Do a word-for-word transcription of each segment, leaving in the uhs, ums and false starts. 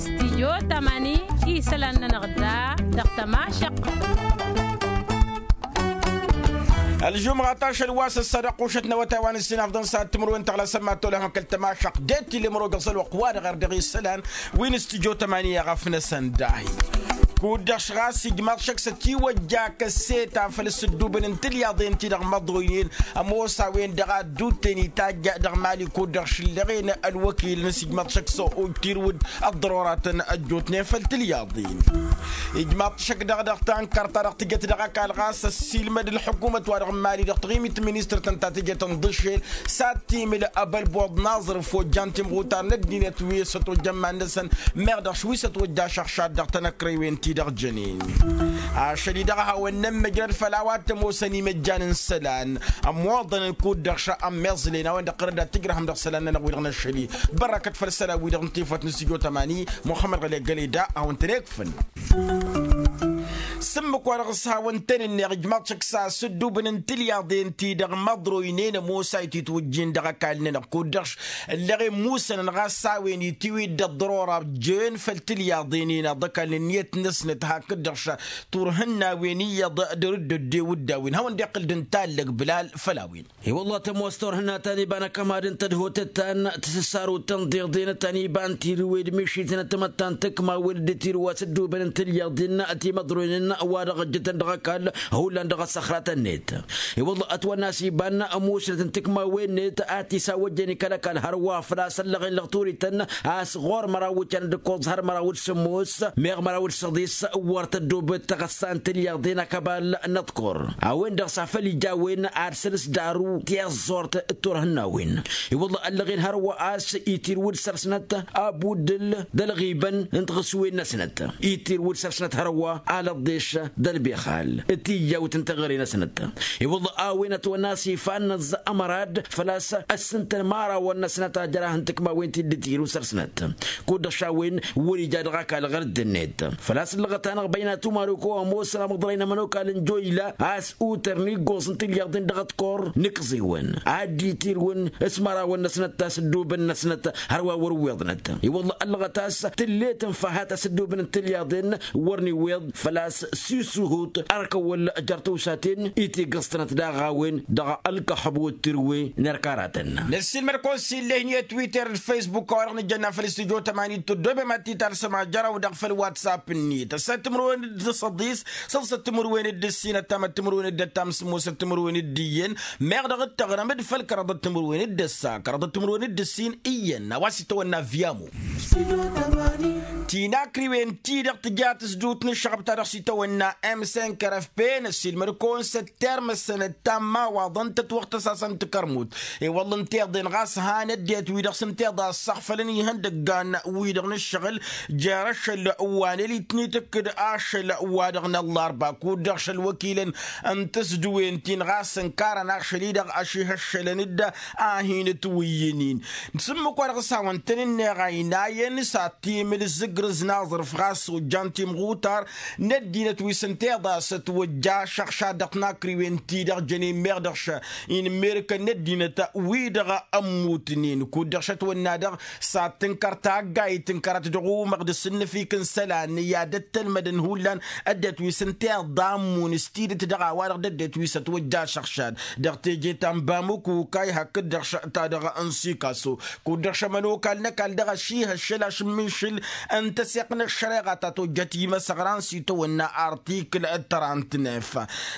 Stidyo tămani isălan-nănăɣ da dăɣ-tămašăqq. Ălžumɣa tašăl wa s-ăssadăɣ qušăt n-awătay wa n-ǝssin afḍăn s-ad-timǝrwen tăɣlasăn mad-tolăhăm kăl-tămašăqq det-ila imrog ăẓălwăqq wa dăɣ-erdăɣ isălan wi n-stidyo tămani i-aɣăf-năsăn dahi. Kud-dăɣ š-ɣas ijmaḍ šăkk s-ătiwăjja kăseta făll-sǝddubăn n-tilyaḍen-ti-dăɣ măḍroynen ămoos a-wen-dăɣ a dd-utten itajj dăɣ-mali kud-dăɣ šǝllăɣen ălwăkil n-asǝjmaḍ šăkk s-ojt irwǝd ăḍḍăroratăn ăjjootnen făll-tilyaḍen. Ijmaḍ šăkk dăɣ-dăɣ tankărt ta dăɣ-tǝjăt dăɣ-ăkall ɣas ăssiilmăd ălḥukumăt wa dăɣ-mali dăɣ-taɣimit ministăr-tăn ta tǝjăt ǝnḍǝšel s-ad-timǝl ăbălboḍ naẓrǝf ojjan timɣutar n-ăddinăt wi s-ătwăjja iman-năsăn meɣ dăɣ-š wi s-ătwăjja ašăɣšad dăɣ-tanăkrăywen-ti-dăɣ jănen. Ašăl-i-dăɣ a hawăn-nămmăjrăd făll-a-wa t-ămoosăn imăjjan n-isălan ămmoḍăn kud-dăɣ šămmeẓlen a-wen-dăɣ tărăd ad-tǝjrăhăm dăɣ-isălan-nănăɣ wi-dăɣ n-ašăl-i. Bărrăkăt făll-isălan-wi-dăɣ n-tifăt n-sijotămani muxămmăd ɣăle găleda a hawăn-tăn-ekfǝn. S-ǝmmǝk wa dăɣ-s hawăn-tăn-ǝnneɣ ijmaḍ šăkk s-asǝddubǝn n-tilyaḍen-ti-dăɣ măḍroynen ămoos a ititwǝjjin dăɣ-ăkall-nănăɣ kud-dăɣ š-ǝllăɣen musănăn ɣas s-a-wen itiwǝy d-ăḍḍărora jen făll-tilyaḍen-in aḍăkall n-ǝnniyăt-năsnăt hakd-dăɣ š-turhǝnnawen iyyăḍ dăr-dd-ăddew dd-a-wen hawăn-dd-iqqǝl d-ǝntallăg bǝlal făll-a-wen. I-wălla tămoos turhǝnna ta n-iba n-akămad n-tadhotăt ta n-tisǝssarut tănḍeḍen ta n-iba n-tirǝwe d-mišitnăt timăttan tǝkmawen d-tirǝw a-s ǝddubăn n-tilyaḍen timăḍroynen wa dăɣ-ăjjătăn dăɣ-ăkall hullan dăɣ-ăssăxratăn-net. I-wălla ătwănna a-s iba n-musnăt n-tǝkmawen-net a tisawăjjăn i-kăl-ăkall hărwa făl-a-s ăllăɣen lăɣ turiten a-s ɣur-măraw wǝccan d-ǝkkoẓ har măraw d-sǝmmos meɣ măraw d-săḍis. Wăr tăddobăt tăɣăssa n-tilyaḍen akăbal n-ăḍkur a-wen-dăɣ s-afăl ija a-wen ad-săl-s daru tiẓẓurt d-turhǝnnawen. I-wălla ăllăɣen hărwa a-s itirǝw d-săr-snăt abuddǝl d-ălɣibăn n-tiɣǝswen-năsnăt itirǝw d-săr-snăt hărwa alăḍḍeš d-ălbixal d-tijjawt n-teɣăre-năsnăt. I-wălla a-wen ătwănna a-s ifa n-năẓẓa ămărad făl-a-s ăssǝntăn imărawăn-năsnăt ajărah n-tǝkmawen ti dd-tirǝw săr-snăt. Kud-dăɣ š-a-wen wăr-ija dăɣ-ăkall ɣăr dd-net făl-a-s ǝllăɣăt-anăɣ băyna tumaruko ămoosăn amăḍrăy n-ămănokal n-joyla a-s utăr n-iggoẓ n-tilyaḍen dăɣ-ăḍkur n-ikẓiwăn ad-dd-itirǝwăn s-imărawăn-năsnăt a-s ăddoobăn-năsnăt. Hărwa wăr-ǝwweḍnăt i-wălla ăllăɣăt a-s tǝllet n-făhat a-s ăddoobăn n-tilyaḍen wăr n-iwweḍ făl-a-s s-isuhut ărkăwăl jer-tawsaten itigăẓtănăt daɣ a-wen dăɣ-ălkăxăb wăr t-irǝwwe n-erk aratăn. Năssiilmăd-kăwăn s-illeh n-e-twitter d-facebook a-wa-dăɣ nǝjjănna făll-studyo tămani tăddobem ad-t-talsăm ajăraw-dăɣ făll-whatsapp-net ăssăt timǝrwen d-săḍis săḍsăt timǝrwen d-ǝssin ăttamăt timǝrwen d-ăttam sǝmmosăt timǝrwen d-iyyăn meɣ dăɣ-dd-tăɣrăm d-făll-kăraḍăt timǝrwen d-ăssa kăraḍăt timǝrwen d-ǝssin iyyăn a-wa s-itawănna vyamo. Tinakriwen-ti-dăɣ tǝja tǝsdut n-ǝššăɣăb ta dăɣ-s itawănna m cinq r f p năssiilmăd-kăwăn s-ăttermăsăn ăttammawaḍăn tătwăɣtăsasăn n-tikărmut. I-wălla ǝnta iḍen ɣas han ăddinăt-wi-dăɣ s-ǝnta iḍa ăssăɣfălăn ihăndăggan-wi-dăɣ n-ǝššăɣǝl jer-ašăl wa n-elitnit ǝkkǝd ašăl wa dăɣ-năllarba kud-dăɣ šăl wăkilăn n-tǝsdǝwen-tin ɣas ǝnkarăn ašăl-i-dăɣ ăšihăššălăn-dd a hin-ǝtwǝyyǝn-in. S-ǝmmǝk wa dăɣ-s hawăn-tăn-ǝnneɣ a inayăn s-ad-timǝl zǝgrǝz n-aẓrǝf ɣas ojjan timɣutar n-ăddinăt wi s-ǝnta iḍa s-ătwăjja ašăɣšad dăɣ-tinakriwen-ti-dăɣ jănen meɣ dăɣ-š inǝmmerǝkăn n-ăddinăt-wi-dăɣ ămmutnen kud-dăɣ šătwănna-dăɣ s-ad-tǝnkăr taggayt tǝnkărăt dăɣ-umăɣ d-asǝnnǝfik n-isălan i-ad-ăttălmădăn hullan ăddinăt wi s-ǝnta iḍa ămmun s-tidǝt dăɣ-a-wa-dăɣ d-ăddinăt wi s-ătwăjja ašăɣšad dăɣ-teje ta n-bamuk ukay hakd-dăɣ ta dăɣ-n sikaso kud-dăɣ šămănokal n-ăkall dăɣ-ašihăššăl ašǝmminšǝl n-tăseɣt n-ăššăreɣa ta tojjăt imăsăɣran s-itawănna artikǝl trant-nef.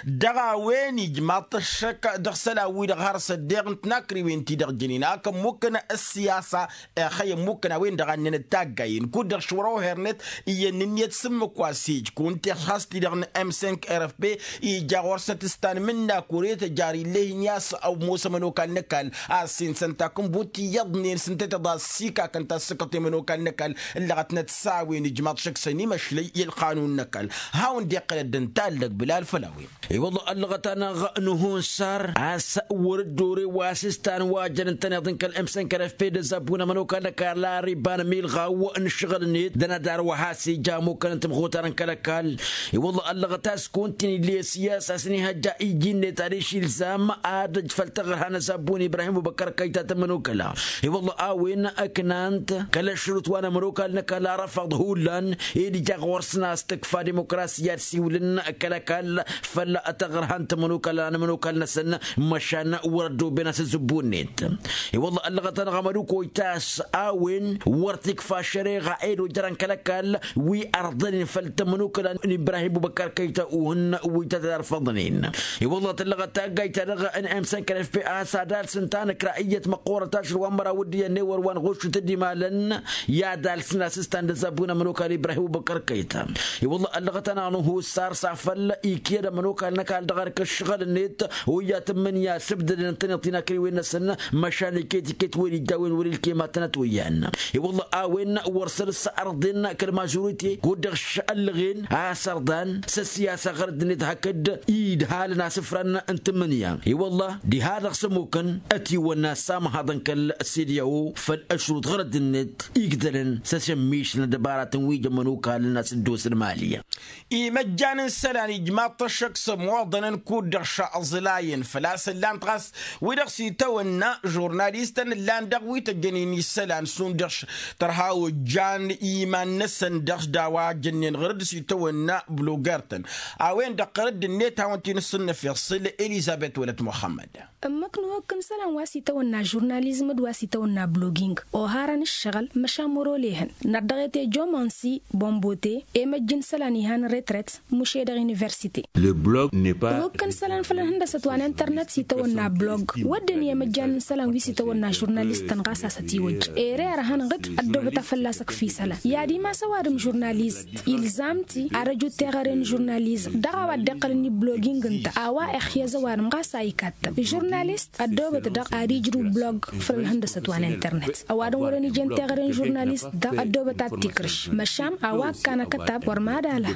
Dăɣ-a-wen ijmaḍ-t ăššăk dăɣ-isălan-wi-dăɣ har s-ăddeɣ n-tinakriwen-ti-dăɣ jănen ak ămmukkăn ăssiyasa. Ixăyy ămmukkăn a-wen-dăɣ a ǝnnănăt taggayen kud-dăɣ šwăr-oher-net iyyăn n-ǝnniyăt s-ǝmmǝk wa s-ej kăwăn-t-ixas-t-i-dăɣ n-m cinq r f p ija ɣur-snăt s-tanmǝnna kure tăjar ill'-e-hin i-a-s ămoos ămănokal n-ăkall a ăssinsăn takǝnbut iyyăḍnen s-ǝnta tăḍa ăssikakăn ta s-sǝkkăṭ i-ămănokal n-ăkall. Ǝllăɣătnăt s-a-wen ijmaḍ šăkk s-ănimăšlăy i-ălqanun n-ăkall. a-wen dd-iqqălăd d-intallăg bilal făll-a-wen. I-wălla ăllăɣăt-anăɣ n-uhunsar a-s wăr-dd-ore wa s-istan wa jăn ǝntăneḍ n-kăl-emsăn kăl-efpe d-ăzzabbu n-ămănokal n-ăkall ar iba n-amilɣaw n-ǝššăɣǝl-net d-ănadar wa has-ija ămukăn n-timɣutar n-kăl-ăkall. I-wălla ăllăɣăt a-s kăwăn-t-in-illa i-ăssiyas a-s n-ihăjja iji-net ad-išilzam ad-ăj făll-taɣărha n-ăzzabbu n-ibrahim ubăkkăr kăyta tămănokăla. I-wălla a-wen ǝknan-t kăl-ăšrut wa n-ămănokal n-ăkall arăfăḍ hullan ed ija ɣur-săn a-s tǝkfa dimukrasiya ad-siwǝlăn kăl-ăkall făll-taɣărha n-tămănokăla n-ămănokal-năsăn. Măšan wăr-ăddooben asǝzzǝbbu-net. I-wălla ăllăɣăt-anăɣ amădukoy ta a-s a-wen wăr t-ikfa ăššăreɣa ed ojărăn kăl-ăkall wi ărḍănen făll-tămănokăla n-ibrahim ubăkkăr kăyta uhǝn wi tăt-ărfăḍnen. I-wălla tăllăɣăt taggayt-ta-dăɣ n-emsăn kăl-efpe a-s ad-alsǝn tanǝkra iyyăt măqqoorăt ašăl wa n-măraw d-iyyăn ewăr wa n-ɣuššǝt d-imalăn i-ad-alsǝn asǝstan d-ăzzabbu n-ămănokal ibrahim ubăkkăr kăyta. I-wălla ăllăɣăt-anăɣ n-uhussar s-afăl ikyăd ămănokal n-ăkall dăɣ-erk ǝššăɣǝl-net. Oyya tǝmmǝnǝya s-ǝbdădăn ǝntăneḍ-t-in akriwen-năsăn măšan iket-iket wăr-ija a-wen wăr-ilkem ad-tănăt oyyan. I-wălla a-wen wăr săr-s ărḍen kăl-mažurite kud-dăɣ š-ăllăɣen a-s ărḍan s-ăssiyasa ɣărădd-net hakd idhalăn asǝfran n-tǝmmǝnǝya. I-wălla diha-dăɣ s-ămmukăn ătiwănna s-amăhaḍăn kăl-sediyawo făll-ăšrut ɣărădd-net igdălăn s-ăšămmišăn ăddăbaratăn wi jămmăn ukalăn asǝddosăn mali. Imăjjan n-isălan ijmaḍ-t ăššăk s-ămoḍănăn kud-dăɣ šăẓlayăn făl-a-s ǝllan-t ɣas wi-dăɣ s-itawănna žurnalistăn ǝllan dăɣ-wi tăjjănen isălan šund dăɣ-tărha ojjan iman-năsăn dăɣ-s d-a-wa jănnen ɣăr-dd s-itawănna bloger-tăn. A-wen-dăɣ ɣăr-dd-net hawăn-t-in-ǝssǝnnăf iṣǝl elizăbet wălăt muxămmăd. Ǝmmǝk n-uhǝkk n-isălan wa s-itawănna žurnalizm d-wa s-itawănna bloging oharăn ǝššăɣǝl măšan wăr-olehăn nărdăɣet i-jomansi bombote emăjj n-isălan ihan retret muše dăɣ-universite. Uhǝkk n-isălan făll-ănhǝndăsăt wa n-internet s-itawănna blog wădden i-emăjjan n-isălan wi s-itawănna žurnalistăn ɣas a-s ătiwăjj ere ărhăn ɣǝd ăddoobăt a fălla-s ǝkf' isălan i-ad-imas ăwadǝm žurnalist ilzam-t i-ad-ăj uteɣăre n-žurnalizm dăɣ-a-wa dd-iqqălăn i-bloging ǝnta a-wa ixyăz ăwadǝm ɣas a ikattăm žurnalist ăddoobăt dăɣ-ad-ijrǝw blog făll-ălhǝndăsăt wa n-internet ăwadǝm wăren ijăn teɣăre n-žurnalist dăɣ-ăddoobăt ad-t-ikrǝš măšan a-wa ǝkkan akătab wăr mad-alha.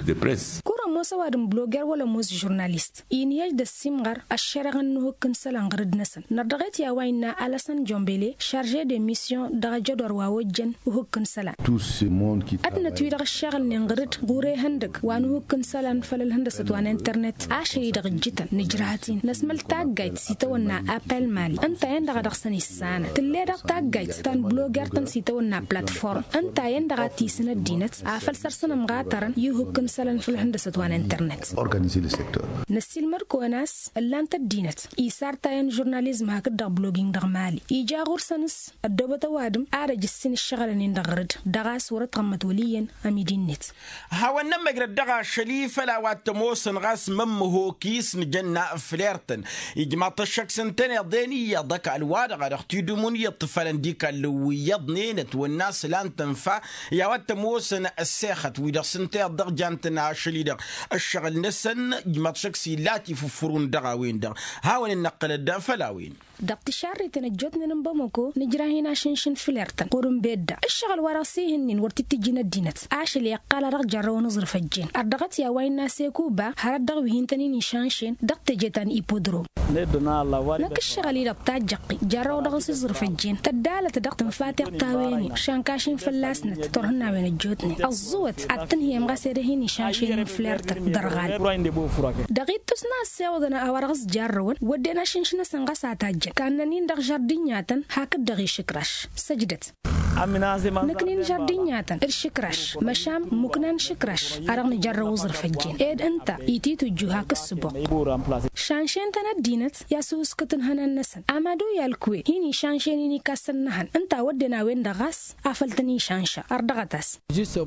Kur ămoos ăwadǝm bloger wăla ămoos žurnalist inhăj d-ăssimɣăr ăššăreɣăn n-uhǝkk n-isălan ɣǝr-dd-năsăn nărdăɣet i-a-wa innă alăsăn jombele šarže d-emisyon dăɣ-ajădor wa ojjăn uhǝkk n-isălan. Ăddinăt-wi-dăɣ ǝššăɣǝlnen ɣǝr-dd ɣur-ehăndăg wa n-uhǝkk n-isălan făll-ălhǝndăsăt wa n-internet ašăl-i-dăɣ ǝjjǝtăn nǝjrăhăt-in năsmăl taggayt s-itawănna apel mali ǝnta a-wen-dăɣ a dăɣ-săn issanăn tǝll'-e-dăɣ taggayt ta n-bloger-tăn s-itawănna platform ǝnta a-wen-dăɣ a t-isǝn ăddinăt afăl săr-săn ămɣatărăn i-uhǝkk n-isălan făll-ălhǝndăsăt wa n-internet. Năssiilmăd-kăwăn a-s ǝllan-t ăddinăt isar tayăn žurnalizm hakd-dăɣ bloging dăɣ-mali ija ɣur-săn s-ăddoobăt ăwadǝm ad-ăj ǝssin ǝššăɣǝlăn-in dăɣ-ɣăr-dd dăɣ-a-s wăr-ătɣămmăt wăl' iyyăn. Ămidinnet. Hawăn-nămmăjrăd dăɣ-ašăl-i făll-a-wa t-ămoosăn ɣas mămmăhok-i s-nǝjănna fler-tăn ijmaḍ-t ăššăk s-ǝntăneḍ-en iyyăḍ ăkall-wa-dăɣ a dăɣ-t-idǝmun i-iṭṭǝfălăn d-ikallăn wi iyyăḍnen ătwănna s-lan tănfa i-a-wa t-ămoosăn ăssexăt-wi-dăɣ s-ǝnta iyyăḍ dăɣ-jan-tăn ašăl-i-dăɣ ǝššăɣǝl-năsăn. Ijmaḍ-t ăššăk s-illa a t-ifuffurun dăɣ-a-wen-dăɣ hawăn-in-năqqălăd făll-a-wen. Dăɣ-tišarriten ăjjootnen n-bamăko nǝjrah-in ašǝnšǝn fler-tăn ɣur-ǝnbedda ǝššăɣǝl-wa-dăɣ s-ihǝnnin wăr t-tǝjjǝn ăddinăt ašăl i-iqqal a dăɣ-jărrăwăn aẓrǝf ăjjeen ărdăɣăt i-a-wa innă sekuba hărăt dăɣ-wi hin-tăn-in-išănšen dăɣ-teje ta n-ipodrom. Năkk ǝššăɣǝl-i-dăɣ tajjăqqi jarrăw dăɣ-s iẓrǝf ăjjeen tăddalăt dăɣ-tǝnfa tiɣtawen-i šănkaš-in fălla-snăt turhǝnnawen ăjjootnen ăẓẓǝwăt ad-tǝnhǝyăm ɣas ed ăhin išănšen n-fler-tăn dăr-ɣal. Dăɣ-ittus n-a ăssewăḍăn a-wa dăɣ-s jarrăwăn wădden ašǝnš-năsăn ɣas a tajjăn kannăn-in dăɣ-žardǝnyatăn hakd-dăɣ išǝkraš. Săjdăt. Nǝknin žardǝnyatăn d-išǝkraš măšan muknan išǝkraš a dăɣ-nǝjărrăw aẓrǝf ăjjeen ed ǝnta ititujju hak ǝssǝboɣ. Šanšen-tăn ăddinăt i-asuskǝt n-ihănan-năsăn amadu i-alkwe hin-išanšen-in ikassăn n-ehăn ǝnta a wădden a-wen-dăɣ ɣas afăl tăn-išanša ărdăɣăt-as.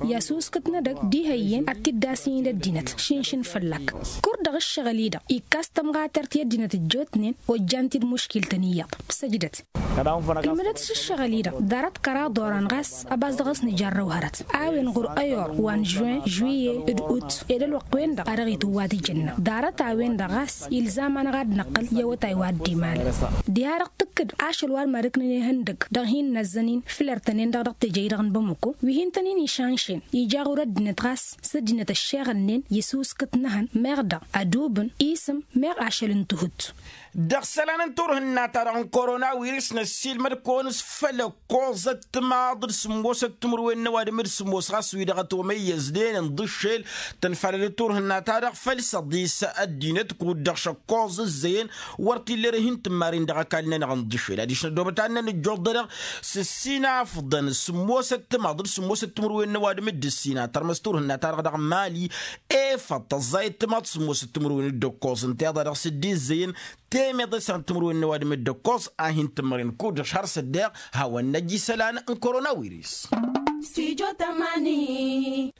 I-asuskǝt n-edăgg d-ihăyyen ad-t-dd-asin d-ăddinăt šǝnšǝn fălla-k. Kur-dăɣ ǝššăɣǝl-i-dăɣ ikkas tămɣatert i-ăddinăt ăjjootnen ojjan-t-dd muškil-tăn iyyăḍ. Săjdăt. Ǝlmǝdăt s-ǝššăɣǝl-i-dăɣ ḍarăt kăraḍ orăn ɣas ăbas dăɣ-s nǝjarrăw hărăt a-wen ɣur-ăyor wa n-žuin žuiye d-ut ed ălwăqq-wen-dăɣ a dăɣ-itǝwwat ijǝnnă ḍarăt-a-wen-dăɣ ɣas ilzam-anăɣ ad-năqqăl i-awătay wa dd-imalăn. Diha-dăɣ tǝkkǝd ašăl wa d-mad-ǝknăn ihăndăgg dăɣ-hin-năzzănin fǝller-tăn-en-dăɣ dăɣ-teje-i-dăɣ n-bamăko wi hin-tăn-in išanšen ija ɣur-ăddinăt ɣas s-ăddinăt ăššeɣălnen i-isuskǝt n-ehăn meɣ dăɣ-adubǝn isǝm meɣ ašăl n-tihut. Dăɣ-isălan n-turhǝnna-ta-dăɣ n-koronawiris năssiilmăd-kăwăn s-făll-ăkkoẓăt timaḍ d-sǝmmosăt timǝrwen n-ăwadǝm d-sǝmmos ɣas wi-dăɣ ătomăyyăznen ǝnḍǝššel tănfalăl d-turhǝnna-ta-dăɣ făll-săḍis ăddinăt kud-dăɣ šăkkoẓ ǝzzăyăn wăr t-illa erăhin tǝmmarin dăɣ-ăkall-nănăɣ ǝnḍǝššel adiš năddoobăt ad-năn-ǝjjuḍ-dăɣ s-ǝssin afḍăn sǝmmosăt timaḍ d-sǝmmosăt timǝrwen n-ăwadǝm d-ǝssin a tărmăs turhǝnna-ta-dăɣ dăɣ-mali efăḍ tăẓẓayăt timaḍ sǝmmosăt timǝrwen d-ăkkoẓ ǝnta iḍa dăɣ-s dd-izzăyăn temeḍe s-ad-timǝrwen n-ăwadǝm d-ăkkoẓ a hin-tǝmmărăn kud-dăɣ šhăr s-ăddeɣ hawăn-năj isălan n-koronawiris.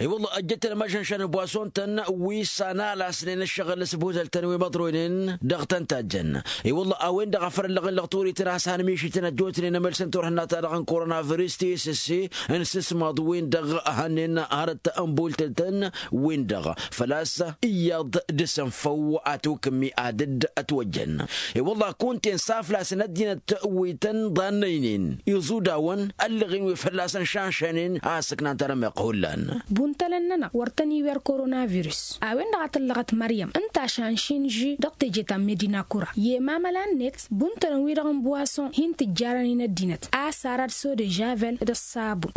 I-wălla ăjjăt-tăn ămašănšan n-bwason-tăn wi s-analasnen ǝššăɣǝl s-buzăl-tăn wi măḍroynen dăɣ-tăn tajjăn. I-wălla a-wen-dăɣ a făl ăllăɣen lăɣ turiten a-s hanmišiten ăjjootnen amălsăn turhǝnna-ta-dăɣ n-koronavirus ti s-s n-sǝsmaḍ-win-dăɣ hănnen hărăt n-bultǝl-tăn-win-dăɣ făl-a-s iyyăḍ dăr-săn făw a tukǝmmi ad-dd-ătwăjjăn. I-wălla kunta-en s-aflasăn ăddinăt wi tăn-ḍannăynen iẓudawăn ăllăɣen wi fălla-săn šanšanen a ăssăknan tarămeɣt hullan. Buntălăn-nănăɣ wăr tăn-iwer koronavirus a-wen-dăɣ a tǝllăɣăt măryăm ǝnta a šanšin ži dăɣ-teje ta n-medina kura i-emamăla-net buntălăn-wi-dăɣ n-buwason hin-tǝjjarăn-in ăddinăt a-s arad s-odežavel d-ăṣṣabun.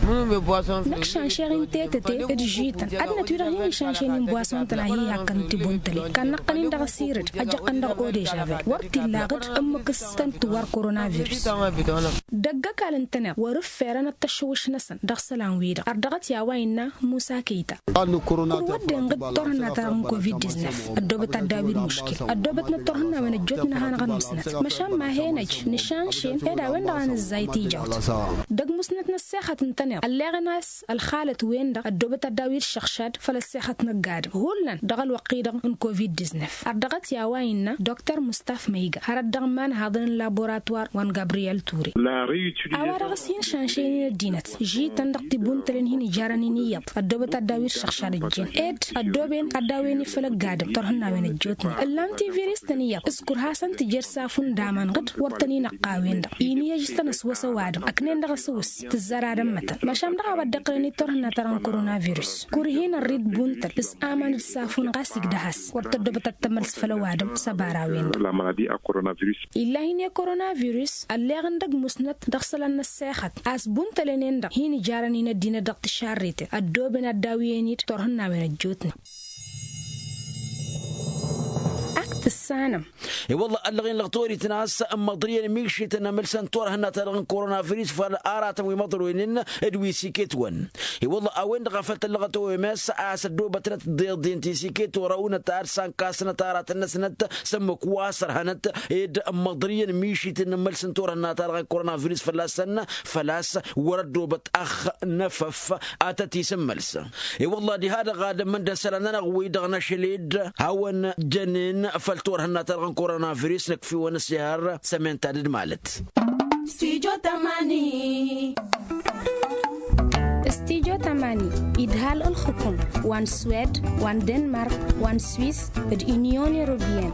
Năkšanšeɣ-in tetăte d-žităn ăddinăt-wi-dăɣ hin-išanšen-in buwason-tăn a hi-hakkăn tibuntălen kannăɣ-tăn-in dăɣ-asirǝd ăjăɣ-tăn dăɣ-odežavel wăr t-illa aɣǝd ǝmmǝk s-tăn-tǝwwăr koronavirus. Dăgg-ăkall ǝntăneḍ wăr-ǝfferăn ăttăššǝwǝš-năsăn dăɣ-isălan-wi-dăɣ har dăɣ-t i-a-wa innă musa kăyta. Kăl-wădden ɣǝd turhǝnna-ta-dăɣ n-covid-disnef ăddoobăt ad-daw-dd muškil ăddoobătnăt turhǝnnawen ăjjootnen ad-hanăɣ-ănmusnăt măšan ma he-năj nǝšanšen ed a-wen-dăɣ a nǝzzay tijawt. Dăgg-musnăt n-ăssexăt ǝntăneḍ ălleɣăn a-s ălxalăt-wen-dăɣ ăddoobăt ad-daw-dd šăɣšad făll-ăssexăt n-ăgg-adǝm hullan dăɣ-ălwăqq-i-dăɣ n-covid-disnef har dăɣ-t i-a-wa innă dr mustafa măyga hărăt dăɣ-imanhaḍăn n-laborătwar wa n-gabriyel ture. A-wa-dăɣ s-hin-šanšăynen ăddinăt žităn dăɣ-tibuntălen hin-ijarăn-in iyyăḍ ăddoobăt ad-daw-dd šăɣšad ǝjjen ed ăddooben ad-daw-en-dd făll-ăgg-adǝm turhǝnnawen ăjjootnen ǝllan tiviristăn iyyăḍ s-kurhasăn tǝjer s-afund aman ɣǝd wăr tăn-inăqqa a-wen-dăɣ inǝyyăj s-tăn-ăswăs ăwadǝm ăknen dăɣ-asǝwǝs tǝzzăr ad-ămmătăn măšan dăɣ-a-wa dd-iqqălăn i-turhǝnna ta-dăɣ n-koronavirus. Kur-hin-ărrid buntăl s-aman d-safun ɣas igdăh-as wăr tăddobăt ad-tămăls făll-ăwadǝm s-ăbara-wen-dăɣ. Illa hin-e-koronavirus ălleɣăn dăgg-musnăt dăɣ-isălan n-ăssexăt a-s buntălăn-en-dăɣ hin-ijarăn-in ăddinăt dăɣ-tišarriten ăddooben ad-daw-iyen-dd turhǝnnawen ăjjootnen. Ak tǝssanăm. I-wălla ăllăɣen lăɣ torităn a-s ămmăḍrǝyăn mišităn amǝlsăn turhǝnna-ta-dăɣ n-koronavirus făll-aratăn wi măḍroynen d-wi s-iket-wăn. I-wălla a-wen-dăɣ a făl tăllăɣăt oms a-s ăddoobătnăt deḍen ti s-iket orăwnăt ad-sankasnăt aratăn-năsnăt s-ǝmmǝk wa s-ărhănăt ed ămmăḍrǝyăn mišităn n-amǝlsăn turhǝnna-ta-dăɣ n-koronavirus fălla-săn. Făl-a-s wăr-ăddoobăt ăxx n-efăf ad-tăt-isǝmmăls. I-wălla diha-dăɣ ad-ămmǝndăn isălan-nănăɣ-wi-dăɣ n-ašăl-dd hawăn jănen făll-turhǝnna-ta-dăɣ n-koronavirus nǝkf'-iwăn ăssihăr sămen-ta dd-malăt. Stijo tămani. Stijo tămani idhal ǝlxǝkum wa n-swed wa n-denmark wa n-swis d-inyon europiyăn.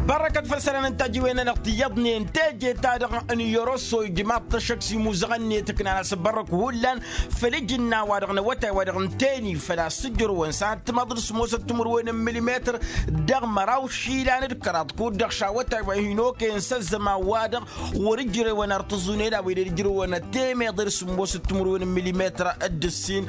Bărrăkăt făll-isălan n-tajiwen-nănăɣ tiyyăḍnen teje-ta-dăɣ n-yoroso ijmaḍ-t ăššăk s-imuzăɣăn-net ǝknan asǝbbărrăk hullan făll-ijǝnna-wa-dăɣ n-awătay-wa-dăɣ n-teni făl-a-s ǝjrǝwăn s-ad-timaḍ d-sǝmmosăt timǝrwen n-milimetr dăɣ-măraw išilan d-kăraḍ kud-dăɣ šawătay wa hin-okăyăn s-ăzzăman-wa-dăɣ wăr-ǝjrewăn ar tǝẓẓunen a-wen ed ǝjrewăn temeḍe d-sǝmmosăt timǝrwen n-milimetr d-ǝssin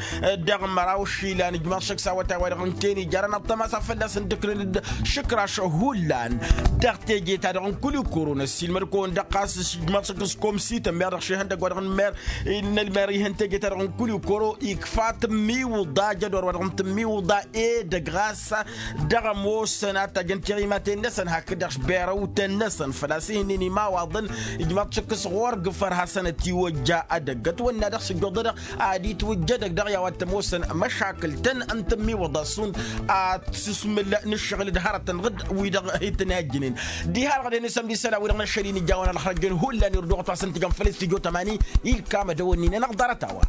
dăɣ-măraw išilan ǝjmaḍ šăkk s-awătay-wa-dăɣ n-teni jarăn ăṭṭăma s-ad-fălla-săn dd-ǝknăn-dd šǝkraš hullan. Dăɣ-teje-ta-dăɣ n-kulikoro năssiilmăd-kăwăn-dăɣ ɣas ǝjmaḍ šăkk s-komsităn meɣ dăɣ-šihăndăgg wa-dăɣ n-mer n-ălmer ihăn teje-ta-dăɣ n-kulikoro ikfa tǝmmiwǝḍa jădor wa dăɣ-n tǝmmiwǝḍa edăgg ɣas dăɣ-ămoosăn ad-tajjăn tiɣimaten-năsăn hakd-dăɣ berăwten-năsăn făl-a-s ihǝnnin imawaḍăn. Ijmaḍ-t šăkk s-ɣur-gǝfăr hasăn-ătiwăjja edăgg ătwănna dăɣ-s ǝjjuḍădăɣ ad-itwǝjj edăgg dăɣ-i a-wa t-ămoosăn măšakǝl-tăn n-tǝmmiwǝḍa s-šund ad-sǝsmǝl n-ǝššăɣǝl d-hărătăn ɣǝd wi-dăɣ hi-tăn-ijjǝnen. Diha-dăɣ dăɣ-e-nǝsăm d-isălan-wi-dăɣ n-ašăl-in ijawăn ălxărăjăn hullan irduɣăt wa s-ǝntǝjăn făll-s tijot ămani. Ilkam ad-ăwănnin-enăɣ ḍarăt-a-wa.